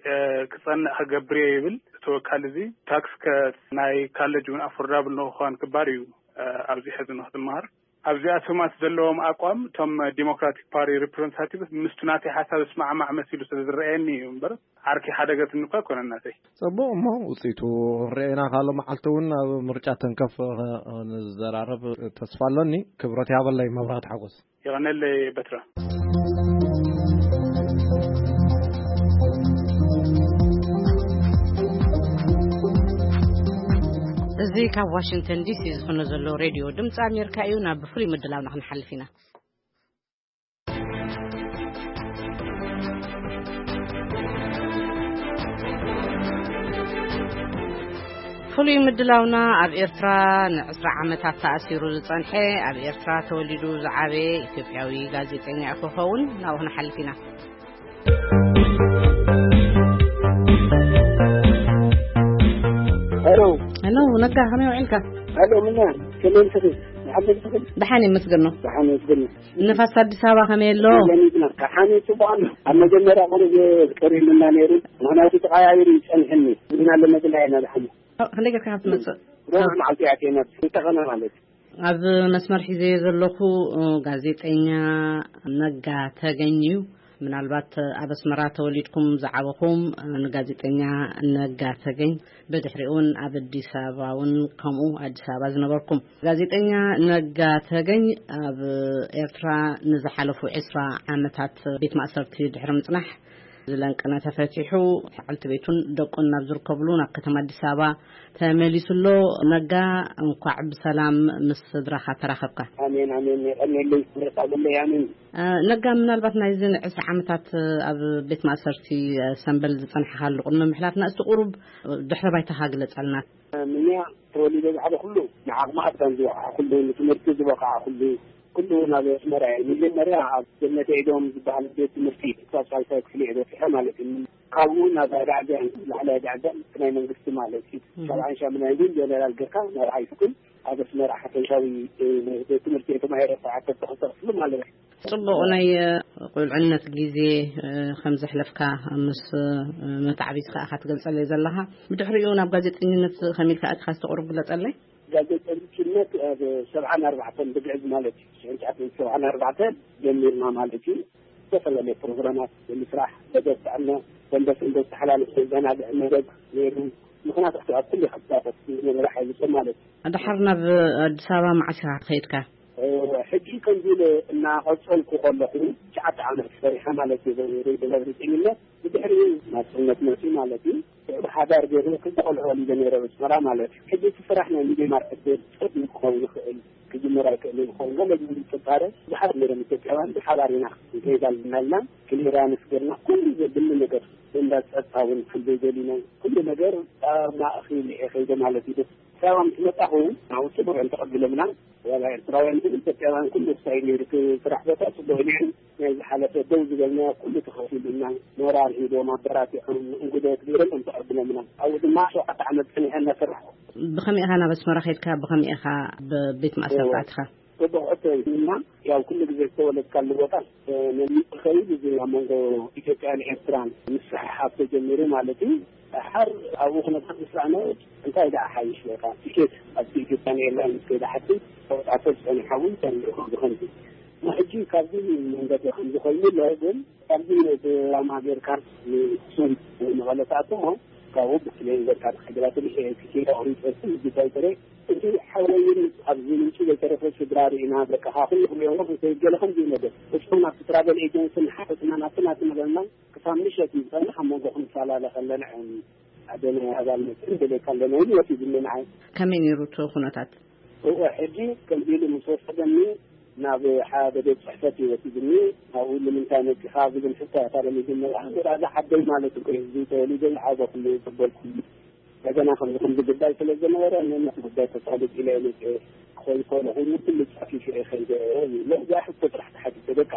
ክፀንዕ ክገብር እየ ይብል። ተወካል እዚ ታክስ ናይ ካለጅ እውን ኣፎርዳብል ንክኾን ክባር እዩ። ኣብዚ ሕዚ ንክትመሃር ኣብዚኣቶም ዘለዎም ኣቋም እቶም ዲሞክራቲክ ፓርቲ ሪፕሬዘንታቲቭ ምስቱ ናተይ ሓሳብ ስማዕማዕ መሲሉ ስለ ዝረኣየኒ እዩ እምበር ዓርኪ ሓደገትኒ እኳ ኣይኮነን ናተይ። ጽቡቕ እሞ ውጽኢቱ ክንሪኦ ኢና ካልእ መዓልቲ እውን ኣብ ምርጫ ተንከፍ ንዘራረብ ተስፋ ኣለኒ። ክብረት ያበለይ መብራት ሓጎስ። የቐነለይ በትረ። እዚ ካብ ዋሽንግተን ዲሲ ዝኾነ ዘሎ ሬድዮ ድምፂ ኣሜሪካ እዩ። ናብ ፍሉይ ምድላውና ክንሓልፍ ኢና። ፍሉይ ምድላውና ኣብ ኤርትራ ንዕስራ ዓመታት ተኣሲሩ ዝጸንሐ፣ ኣብ ኤርትራ ተወሊዱ ዝዓበየ ኢትዮጵያዊ ጋዜጠኛ እዩ ክኸውን። ናብኡ ክንሓልፍ ኢና። ሄሎ። ሄሎ፣ ነጋ፣ ከመይ ውዒልካ? ሄሎ፣ ምና? ከመይ ትኽእል? ንሓመድ ትኽእል? ደሓን ይመስገን ነው። ደሓን ይመስገን ነው። ንፋስ ኣዲስ ኣበባ ከመይ ኣሎ? ከሓኒ ጽቡቕ ኣሎ። ኣብ መጀመርያ ቁሩብ ቀሪሉና ነይሩ፣ ምኽንያቱ ተቐያይሩ ይጸንሐኒ። ግን ኣሎ መግላ ኢና ደሓን። ክንደይ ጌርካ ካብ ትመጽእ? ሮብ መዓልቲ እያ ከይመጽእ ዝተኸነ ማለት እዩ። ኣብ መስመር ሒዘዮ ዘለኹ ጋዜጠኛ ነጋ ተገኝ እዩ። ምናልባት ኣብ ኣስመራ ተወሊድኩም ዝዓበኹም ንጋዜጠኛ ነጋ ተገኝ፣ ብድሕሪኡ እውን ኣብ ኣዲስ ኣበባ እውን ከምኡ ኣዲስ ኣበባ ዝነበርኩም። ጋዜጠኛ ነጋ ተገኝ ኣብ ኤርትራ ንዝሓለፉ ዕስራ ዓመታት ቤት ማእሰርቲ ድሕሪ ምጽናሕ፣ ዝለንቅነ ተፈቲሑ፣ ዓልቲ ቤቱን ደቁን ናብ ዝርከብሉ ናብ ከተማ ኣዲስ ኣበባ ተመሊሱ ኣሎ። ነጋ፣ እንኳዕ ብሰላም ምስ ስድራኻ ተራኸብካ። ኣሜን፣ ኣሜን። የቐንየለይ፣ ክብረት ኣለለይ፣ ኣሜን። እ፣ ነጋ፣ ምናልባት ናይዚ ዕስራ ዓመታት ኣብ ቤት ማእሰርቲ፣ እ፣ ሰምበል ዝጸንሐኻሉ ቅድሚ ምሕላፍና፣ እስቲ ቁሩብ ድሕረ ባይታኻ ግለጸልና። ምንያ ተወሊደ ዝዓበኹሉ፣ ንዓቕሚ ኣዳም ዝበቕዓኹሉ፣ ንትምህርቲ ዝበቕዓኹሉ፣ ኩሉ ናብ ኣስመራ እየ። መጀመርያ ኣብ ገነት ኤዶም ዝበሃል ቤት ትምህርቲ ክሳብ ሳልሳይ ክፍሊ እየ በጺሐ ማለት እዩ። ካብኡ ናብ ኣዳዕጃን ላዕላይ ኣዳዕጃን ናይ መንግስቲ ማለት እዩ። እም። ሰብዓን ሻምናይን ግን ጀነራል ገርካ ናብ ሃይ ስኩል ኣብ ኣስመራ ሓፈሻዊ፣ እ፣ ቤት ትምህርቲ እየ ተማሂረ፣ ሰዓት ተተኽተኽፍሉ ማለት እዩ። ጽቡቕ ናይ፣ እ፣ ቁልዕነት ግዜ፣ እ፣ ከም ዘሕለፍካ ምስ፣ እ፣ መታዕቢት ከኣ ኢኻ ትገልጸለይ ዘለኻ። ብድሕሪኡ ናብ ጋዜጠኝነት ከመይ ኢልካ ኣቲኻ ዝተቑርብ ግለጸለይ? ጋዜጠኝነት ኣብ ሰብዓን ኣርባዕተን ብግዕዝ ማለት እዩ። ሽሕን ትሽዓተ ሚእትን ሰብዓን ኣርባዕተን ጀሚርና ማለት እዩ። ዝተፈላለዩ ፕሮግራማት ብምስራሕ፣ መደብ ጥዕና፣ ሰንበት ሰንበት ተሓላልፍ ዘዘናግዕ መደብ ነይሩ። ምኽንያቱ ኣብ ኩሉ ክሳተፍ ዝነበረ ሓይሊ ሰብ ማለት እዩ። ድሓር ናብ ኣዲስ ኣበባ መዓስ ኢኻ ከይድካ? ሕጂ ከምዚ ኢለ እናቐጸልኩ ከለኹ ትሽዓተ ዓመት ሰሪሐ ማለት እዩ። ሬድዮ ጋዜጠኝነት ብድሕሪኡ ናጽነት መጺኡ ማለት እዩ። ብሓዳር ገይሩ ክልተ ቆልዑ ወሊደ ነይረ ኣብ ኣስመራ ማለት እዩ። ሕጂ እቲ ስራሕ ናይ ሚድያ ማርኬት ጸቢብ ክኸውን ይኽእል፣ ክጅምር ኣይክእልን ይኸውን፣ ገለ ዝብል ጥርጣረ ብዙሓት ነይሮም። ኢትዮጵያውያን ብሓባር ኢና ንከይድ ኣለና ኢልና ክሊራንስ ገርና ኩሉ ዘድሊ ነገር እንዳ ጸጥታ እውን ክንደይ ደሊና ኩሉ ነገር ኣብ ማእኸል እየ ከይደ ማለት እዩ። ሰላም ምስ መጣኹ ናብኡ ጽቡቕ እዮም ተቐቢሎምና። ዋላ ኤርትራውያን ግን ኢትዮጵያውያን ኩሉ ክሳይ ነይሩ፣ እቲ ስራሕ ቦታ ጽቡቕ እዩ ነይሩ። ናይ ዝሓለፈ ደው ዝበልና ኩሉ ተኸፊሉና፣ ሞራል ሂቦም ኣበራቲዖም እንግዶት ገይሮም እዮም ተቐቢሎምና። ኣብኡ ድማ ሸውዓተ ዓመት ጸኒሐ እናሰራሕኩ። ብኸመይ ኢኻ ናብ ኣስመራ ከይድካ? ብኸመይ ኢኻ ኣብ ቤት ማእሰርቲ እወ። ኣቲኻ? ጽቡቕ ሕቶ እዩ። እና ያው ኩሉ ግዜ ዝተወለድካሉ ቦታ፣ እ፣ ነሚጡ ከይድ እዚ ኣብ መንጎ ኢትዮጵያን ኤርትራን ምስሕሓብ ተጀሚሩ ማለት እዩ። ድሓር ኣብኡ ኩነታት ምስ ረኣና እንታይ ደኣ ሓይሽ በቃ ቲኬት ኣብቲ ኢትዮጵያን ኤርላይንስ ከይደ ሓቲ ተወጣቶ ዝጸኒሓ እውን ተሪኡ ከምዚ ከምዚ። ሕጂ ካብዚ መንገዲ ከምዚ ኮይኑ ኣሎ፣ ግን ካብዚ ነቲ ላማ ጌርካ ንሱም መቐለ ትኣቱ እሞ ካብኡ ብፕሌን ጌርካ ትኸይድ። ትኬት ኣቑሪጸ፣ ግዳይ ጥረ እቲ ሓወይን ኣብዚ ምንጪ ዘይተረፈ ስድራ ርኢና፣ በቃ ካብ ኩሉ ክሪኦ እንከይገለ ከምዚ እዩ ነገር። እስኹም ናብቲ ትራቨል ኤጀንሲ ንሓተትና ናብቲ ናቲ ነበርና ክሳብ ምሸት እዩ ዝጸንሕ። ኣብ መንጎኹም ንፈላለ ከለና እዮም ሓደ ናይ ኣባል መጽእን ደለካ ኣለና ኢሉ ወሲድኒ ንዓይ። ከመይ ነይሩ እቲ ኩነታት? እወ፣ ሕጂ ከምዚ ኢሉ ምስ ወሰደኒ ናብ ሓደ ቤት ጽሕፈት እዩ ወሲድኒ። ኣብኡ ንምንታይ መጺኻ ዝብል ሕቶ እያ ታዲያ መጀመርያ። ወደ ኣዛ ዓደይ ማለት እኮ እዩ፣ እዚ ተወሊደ ዝዓበኹሉ፣ ዘበልኩሉ። እንደገና ከምዚ ከምዚ ጉዳይ ስለ ዝነበረ፣ ነነት ጉዳይ ተሳልጥ ኢለ እየ መጽኤ። ክኾን ይኽእል ኮይኑ ኩሉ ጻፊፍ እየ ከይደ። ለዚኣ ሕቶ ጥራሕ ተሓቲተ በቃ።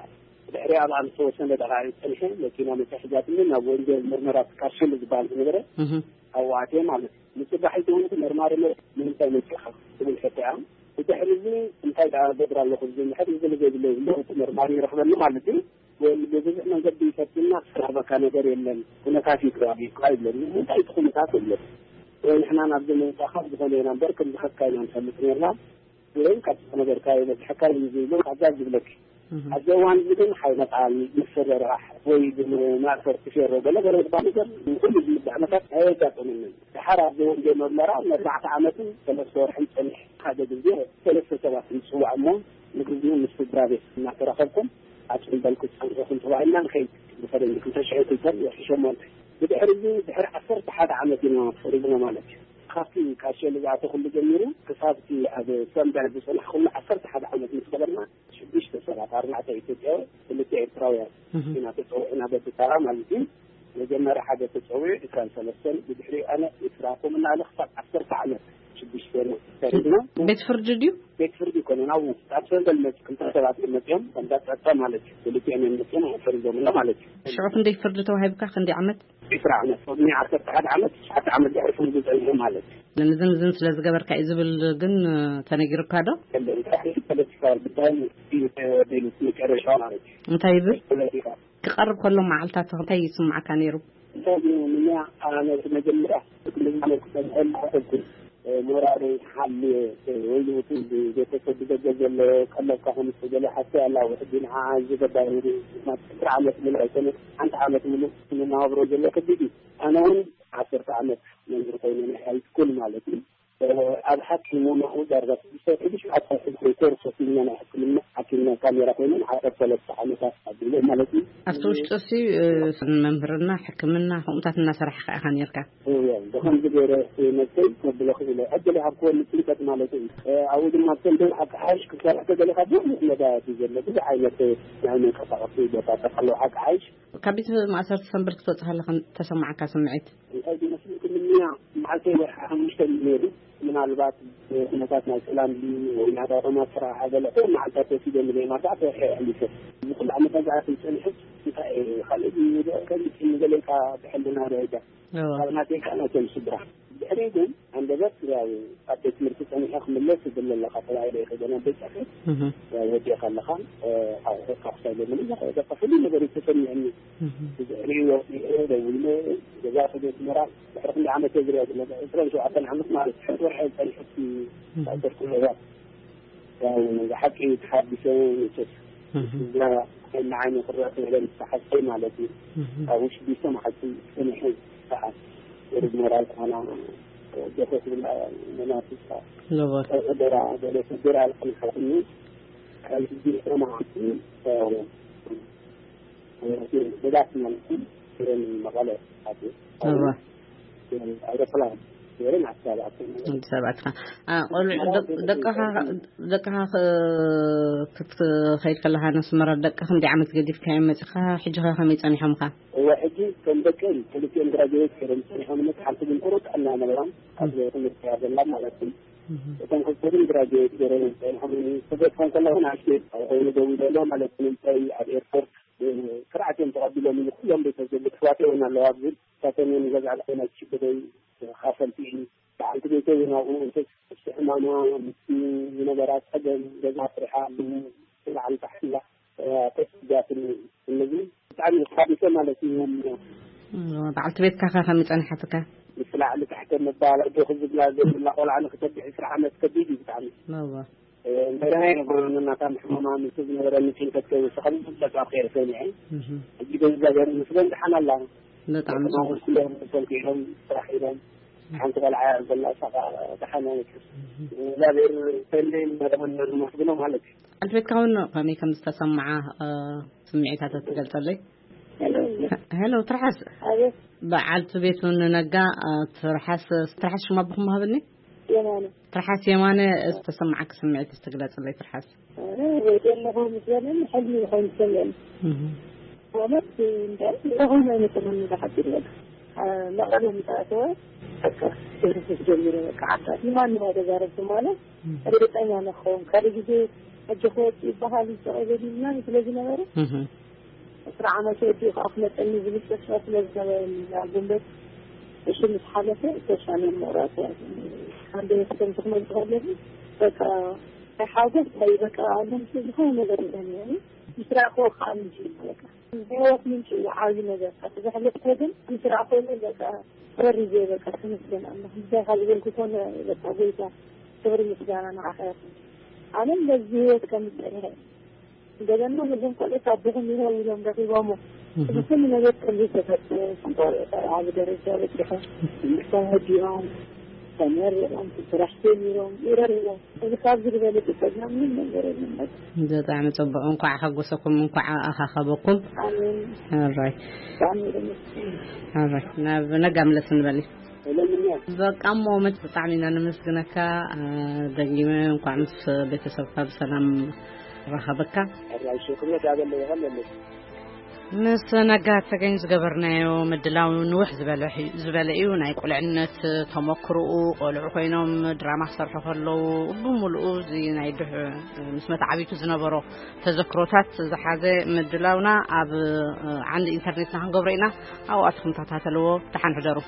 ድሕሪ ኣብ ዝተወሰነ ደቓይቕ ጸኒሐ፣ መኪና መጻ ሒዛትኒ ናብ ወንጀል ምርመራ ትካል ሽል ዝበሃል ዝነበረ እህ። ኣብኡ ኣትየ ማለት እዩ። ንጽባሒቱ እውን እቲ መርማሪ መ-፣ ንምንታይ መጺኻ? ትብል ሕቶ እያ። ብድሕሪ እዚ እንታይ ደኣ ገብር ኣለኹ? ዝብል ሕቶ ዝብል ዘይብለይ ዝለኹ መርማሪ ይረኽበኒ ማለት እዩ። ወይ ብብዙሕ መንገዲ ይፈትና ዝረኽበካ ነገር የለን። ኩነታት እዩ ከባቢ እኳ ይብለኒ። እንታይ እቲ ኩነታት የለን። ወይ ንሕና ናብዚ ምምጻእካ ዝኾነ ኢና እምበር ከም ዝኸድካ ኢና ንፈልጥ ነርና። ግን ካብ ዝነበርካ ይበዝሐካ እዩ ዝብሎ ካብዛ ዝብለኪ። እህ። ኣብዚ እዋን እዚ ግን ሓይመጣል፣ ምፍርራሕ ወይ ግን ማእሰርቲ ፌሮ ገለ ገለ ዝበሃል ነገር ንኩሉ ዝምዳእ ነገር ኣየጋጠመንን። ድሓር ኣብዚ ወንጌል መርመራ ንኣርባዕተ ዓመትን ሰለስተ ወርሕን ጸኒሐ። ሓደ ግዜ ሰለስተ ሰባት ንጽዋዕ እሞ ንግዜኡ ምስ ስድራ ቤት እናተራኸብኩም ኣብ ጽምበል ክትጸንሑ ክንጽዋዕ ኢልና ንኸይድ ብፈረንጂ ክልተ ሽሕ ክልተን ወርሒ ሸሞንተ። ብድሕሪ እዚ ድሕሪ ዓሰርተ ሓደ ዓመት ኢና ፈሪድና ማለት እዩ። ካብቲ ካብ ሸሊ ዝኣተኹሉ ጀሚሩ ክሳብቲ ኣብ ሰምበል ዝጸናሕኩሉ ዓሰርተ ሓደ ዓመት ምስ ገበርና ሽዱሽተ ሰባት፣ ኣርባዕተ ኢትዮጵያውያን፣ ክልተ ኤርትራውያን እህ። ኢና ተጸዊዕና በብተራ ማለት እዩ። መጀመርያ ሓደ ተጸዊዑ ዕስራን ሰለስተን፣ ብድሕሪ ኣነ ዕስራ፣ ከምኡ እናበለ ክሳብ ዓሰርተ ዓመት ሽዱሽተ ሰሪሕና። ቤት ፍርዲ ድዩ? ቤት ፍርዲ ይኮነን፣ ኣብኡ ኣብ ሰንደል መጽ ክልተ ሰባት እዮም መጽኦም፣ ከምዛ ጸጥታ ማለት እዩ። ክልቲኦም እዮም መጽኦም ፈሪዶምና ማለት እዩ። ሽዑ ክንደይ ፍርዲ ተዋሂብካ? ክንደይ ዓመት? ዕስራ ዓመት፣ ቅድሚ ዓሰርተ ሓደ ዓመት፣ ትሽዓተ ዓመት ድሕሪ ፍርዲ ጸኒሑ ማለት እዩ። ንዝን ዝን ስለ ዝገበርካ እዩ ዝብል ግን ተነጊሩካ ዶ? የለን፣ ጥራሕ ፖለቲካዊ ጉዳይ እዩ ተወዲሉ መጨረሻ ማለት እዩ። እንታይ ይብል? ፖለቲካ። ክቐርብ ከሎ መዓልታት እንታይ ይስምዓካ ነይሩ? እንታይ ግን ንኛ ኣነ መጀመርያ ክልል ማለት ክሰምዐል ሓሰብኩ። ሞራለይ ሓልየ ወይ እቲ ቤተሰብ ብደገ ዘሎ ቀለብካ ከም ዝተገለ ሓሰ ኣላ። ውሕዲ ንዓ ዝገባር ማለት ዕስራ ዓመት ሙሉእ ኣይኮነ፣ ሓንቲ ዓመት ሙሉእ ንናብሮ ዘሎ ከቢድ እዩ። ኣነ እውን ዓሰርተ ዓመት መምህር ኮይነ ናይ ሃይ ስኩል ማለት እዩ። ኣብ ሓኪሙ ንኡ ዳርጋ ስድስተ ወርሒ ብሽዓተ ወርሒ ኮይኑ ኮርስ ወሲድና ናይ ሕክምና ሓኪምና ካሜራ ኮይነ ንዓሰርተ ሰለስተ ዓመታት ኣቢለ ማለት እዩ። ኣብቲ ውሽጢ እሲ መምህርና ሕክምና ከምኡታት እናሰራሕካ ኢኻ ነርካ? እወ፣ ብኸምዚ ገይረ ነብሰይ ከብሎ ክኢለ። ዕድል ይሃብክዎ ንጭንቀት ማለት እዩ። ኣብኡ ድማ ከም ደም ሓቂ ሓይሽ ክትሰርሕ ተደሊኻ ብዙሕ መዳያት እዩ ዘሎ። ብዙሕ ዓይነት ናይ መንቀሳቐሲ ቦታታት ኣለዉ። ሓቂ ሓይሽ ካብ ቤት ማእሰርቲ ሰንበል ክትወጽእ ከለኻ ተሰማዓካ ስምዒት? እንታይ ዝመስል ክምንያ መዓልተይ ወርሒ ሓሙሽተ እዩ ነይሩ። ምናልባት ኩነታት ናይ ሰላም ድዩ ወይ ናይ ዳሮማ ስራሕ ገለ መዓልታት ወሲደ ንዘይ ማርዳዕት ወርሒ ኣሕሊፈ። እዚ ኩሉ ዓመታት ዝኣክል ጸኒሐ እንታይ እየ ካልእ ድዩ ከምዚ ንገለ ኢልካ ብሕልና ደረጃ እዎ። ካብ ናተይ ከዓ ናቶም ስድራ። ድሕሪ ግን ኣንደበት ያው ኣብ ቤት ትምህርቲ ጸኒሐ ክምለስ ይብል ኣለኻ ተባሂለ ይኸደ ናብ ቤት ጽሕፈት። እህ። ያው ወዲእኻ ኣለኻ፣ እ፣ ኣብ ሆካ ክሳይ ለምን በቃ ኩሉ ነገር እዩ ተሰሚዕኒ። እህ። ብድሕሪ ወዲኤ ደዊለ ገዛ ከደ ኣስመራ ድሕሪ ክንደይ ዓመት እየ ዝሪኦ ዘለኹ? ዕስራን ሸውዓተን ዓመት ማለት ትሕቲ ወርሒ ጸኒሐ እህ። ታሰርኩ ነበር። ያው ብሓቂ ተሓቢሰ መቸስ እህ። እዛ ንዓይ ንክረእ ክብለ ዝተሓሰ ማለት እዩ። እህ። ኣብ ውሽጢ ቢሶ መዓልቲ ጸኒሐ ከዓ ወደ ሞራል ኮና ደፈት ብላ መናፍስታ እዎ። ደራ፣ ደረ ደራ ኣልቀን ሓጥኒ ካብ ሕጂ መዓልቲ ብዛት ማለት እዩ። ክረን መቐለ ኣትዩ። እዎ። ኣይሮፕላን ገይረን ኣዲስ ኣበባ ኣትየን። ኣዲስ ኣበባ ኣትኻ። አ፣ ቆልዑ፣ ደቅ-፣ ደቅኻ፣ ደቅኻ ክ-፣ ክትኸይድ ከለኻ ነስመራ ደቅኻ ክንደይ ዓመት ገዲፍካዮም መጺኻ? ሕጂ ኸ ከመይ ጸኒሖምካ? እወ፣ ሕጂ ከም ደቀይ ክልቲኦም ግራጅዌት ገይሮም ጸኒሖም፣ ሓንቲ ግን ጥሩ ጥዕና ነበራም ኣብ ትምህርቲ እያ ዘላ ማለት እዩ። እህ። እቶም ክልተ ግን ግራጅዌት ገይሮም ጸኒሖም፣ ክገድፎም ከለኹ ንኣሽቱ ኣብ ኮይኑ ደው ኢለ ኣሎ ማለት እዩ። ንምንታይ ኣብ ኤርፖርት ስርዓት እዮም ተቐቢሎም እዩ። ኩሎም ቤተሰብ ኣሕዋተይ እውን ኣለዋ፣ ግን እሳቶም እዮም ገዛ ልኾና ዝሽግረይ ተኻፈልቲ እዩ። በዓልቲ ቤተይ እውን ኣብኡ ምስ ሕማማ ምስ ዝነበራ ጸገም ገዛ ስሪሓ ኣለዉ። ብላዕሊ ታሕቲ ኢላ ተስጃትኒ። እነዚ ብጣዕሚ ተሓቢሰ ማለት እዩ። በዓልቲ ቤትካ ከ ከመይ ጸኒሓትካ? ምስ ላዕሊ ታሕቲ ምባል፣ ኣጆኺ ዝብላ ዘይብላ ቆልዓ ንክተብዕ ዕስራ ዓመት ከቢድ እዩ ብጣዕሚ። እወ። እ፣ እንደገና ይነግሩን እናታ ሕማማ ምስ ዝነበረኒ ጭንቀት ከይወስኸኒ፣ ብዛዕባ ከይረ ሰሚዐ። እህ። ሕጂ ግን እግዚኣብሔር ይመስገን ደሓን ኣላ። በጣም ደቂ ጽቡቅ። ማሙስ ኩሎም ተሰንኪሎም ስራሕ ኢሎም። ሓንቲ ቆልዓ እያ ዘላ፣ እሳ ከዓ ደሓን እያ። እህ። እግዚኣብሔር ተለይ መደበና ዝመስግኖ ማለት እዩ። በዓልቲ ቤትካ እውን ከመይ ከም ዝተሰምዓ፣ እ፣ ስምዒታት ትገልጸለይ? ሄሎ። ሄሎ፣ ትርሓስ። ኣቤት። በዓልቲ ቤቱ ንነጋ፣ እ፣ ትርሓስ፣ ትርሓስ ሽማ ብኹም ሃብኒ? የማነ። ትርሓስ የማነ፣ ዝተሰማዓኪ ስምዒት እስቲ ግለጽለይ ትርሓስ። ኣረ፣ ወይ ዘለኹ ምስ በለኒ፣ ሕልሚ ይኾን ዝሰምዐኒ። እህ። ማለት፣ እንታይ፣ ዝኾነ ኣይመሰለኒ፣ ብሓቂ በቃ። አ፣ መቐለ ምስ ኣተወ፣ በቃ፣ ክደርፍስ ጀሚረ፣ በቃ፣ ዓባይ ማንም ኣይተዛረብኩ ማለት፣ እህ። ርግጸኛ ንኸውን። ካልእ ግዜ ሕጂ ክወጽእ ይበሃል፣ ይስቕ ይብል ምናምን ስለ ዝነበረ፣ እህ። ዕስራ ዓመት ወዲኡ ከዓ ክመፀኒ ዝብል ተስፋ ስለ ዝነበረኒ፣ ኣብ ጉንበት እሱ ምስ ሓለፈ ተስፋ ናይ ምቑራፅ፣ ሓደ ክሰምቲ ክመፅእ ከለኹ፣ በቃ፣ ናይ ሓጎስ፣ ናይ በቃ፣ ኣለምሲ ዝኾነ ነገር የለን፣ ያኒ፣ ምስ ረኣኽዎ ከዓ ምንጭ እዩ፣ በቃ። ናይ ህይወት ምንጭ እዩ፣ ዓብዪ ነገር። እቲ ዘሕለፍክዎ ግን ምስ ረኣኽዎ ግን፣ በቃ፣ ተወሪዘ፣ በቃ፣ ተመስገን ኣምላኽ። ምስጋና ዝበልኩ ኮነ፣ በቃ፣ ጎይታ፣ ክብሪ ምስጋና ንዓኻ ይኹን። ኣነ በዚ ህይወት ከም ዝጸንሐ እንደገና ነዞም ቆልዑት ኣቦኹም ይኸው ኢሎም ረኺቦሞ። እህ። እዚ ኩሉ ነገር ከም ዘይተፈጥረ፣ ቆልዑ ኣብ ደረጃ በጺሖም፣ ትምህርቶም ወዲኦም፣ ተመሪቖም፣ ስራሕ ጀሚሮም፣ ይረርቦም። እዚ ካብዚ ዝበለጸ ጸጋ ምንም ነገር የለን። በጣዕሚ ጽቡቕ። እንኳዕ ሓጎሰኩም፣ እንኳዕ ኣኻኸበኩም። ኣሜን። ሕራይ። ብጣዕሚ የመስግን። ሕራይ። ናብ ነጋ ምለስ ንበል። በቃ እሞ መች ብጣዕሚ ኢና ነመስግነካ። አ፣ ደጊመ እንኳዕ ምስ ቤተሰብካ ብሰላም ረኸበካ። ሕራይ ሽክነት ያበለ ይኸለለች። ምስ ነጋ ተገኝ ዝገበርናዮ ምድላው ንውሕ ዝበለ ሕዩ- ዝበለ እዩ። ናይ ቁልዕነት ተመክሮኡ፣ ቆልዑ ኮይኖም ድራማ ክሰርሑ ከለዉ፣ ብምሉኡ እዚ ናይ ድሕ ምስ መተዓቢቱ ዝነበሮ ተዘክሮታት ዝሓዘ ምድላውና ኣብ ዓንዲ ኢንተርኔትና ክንገብሮ ኢና። ኣብኡ ኣትኹም ተኸታተልዎ። ደሓን ሕደሩ።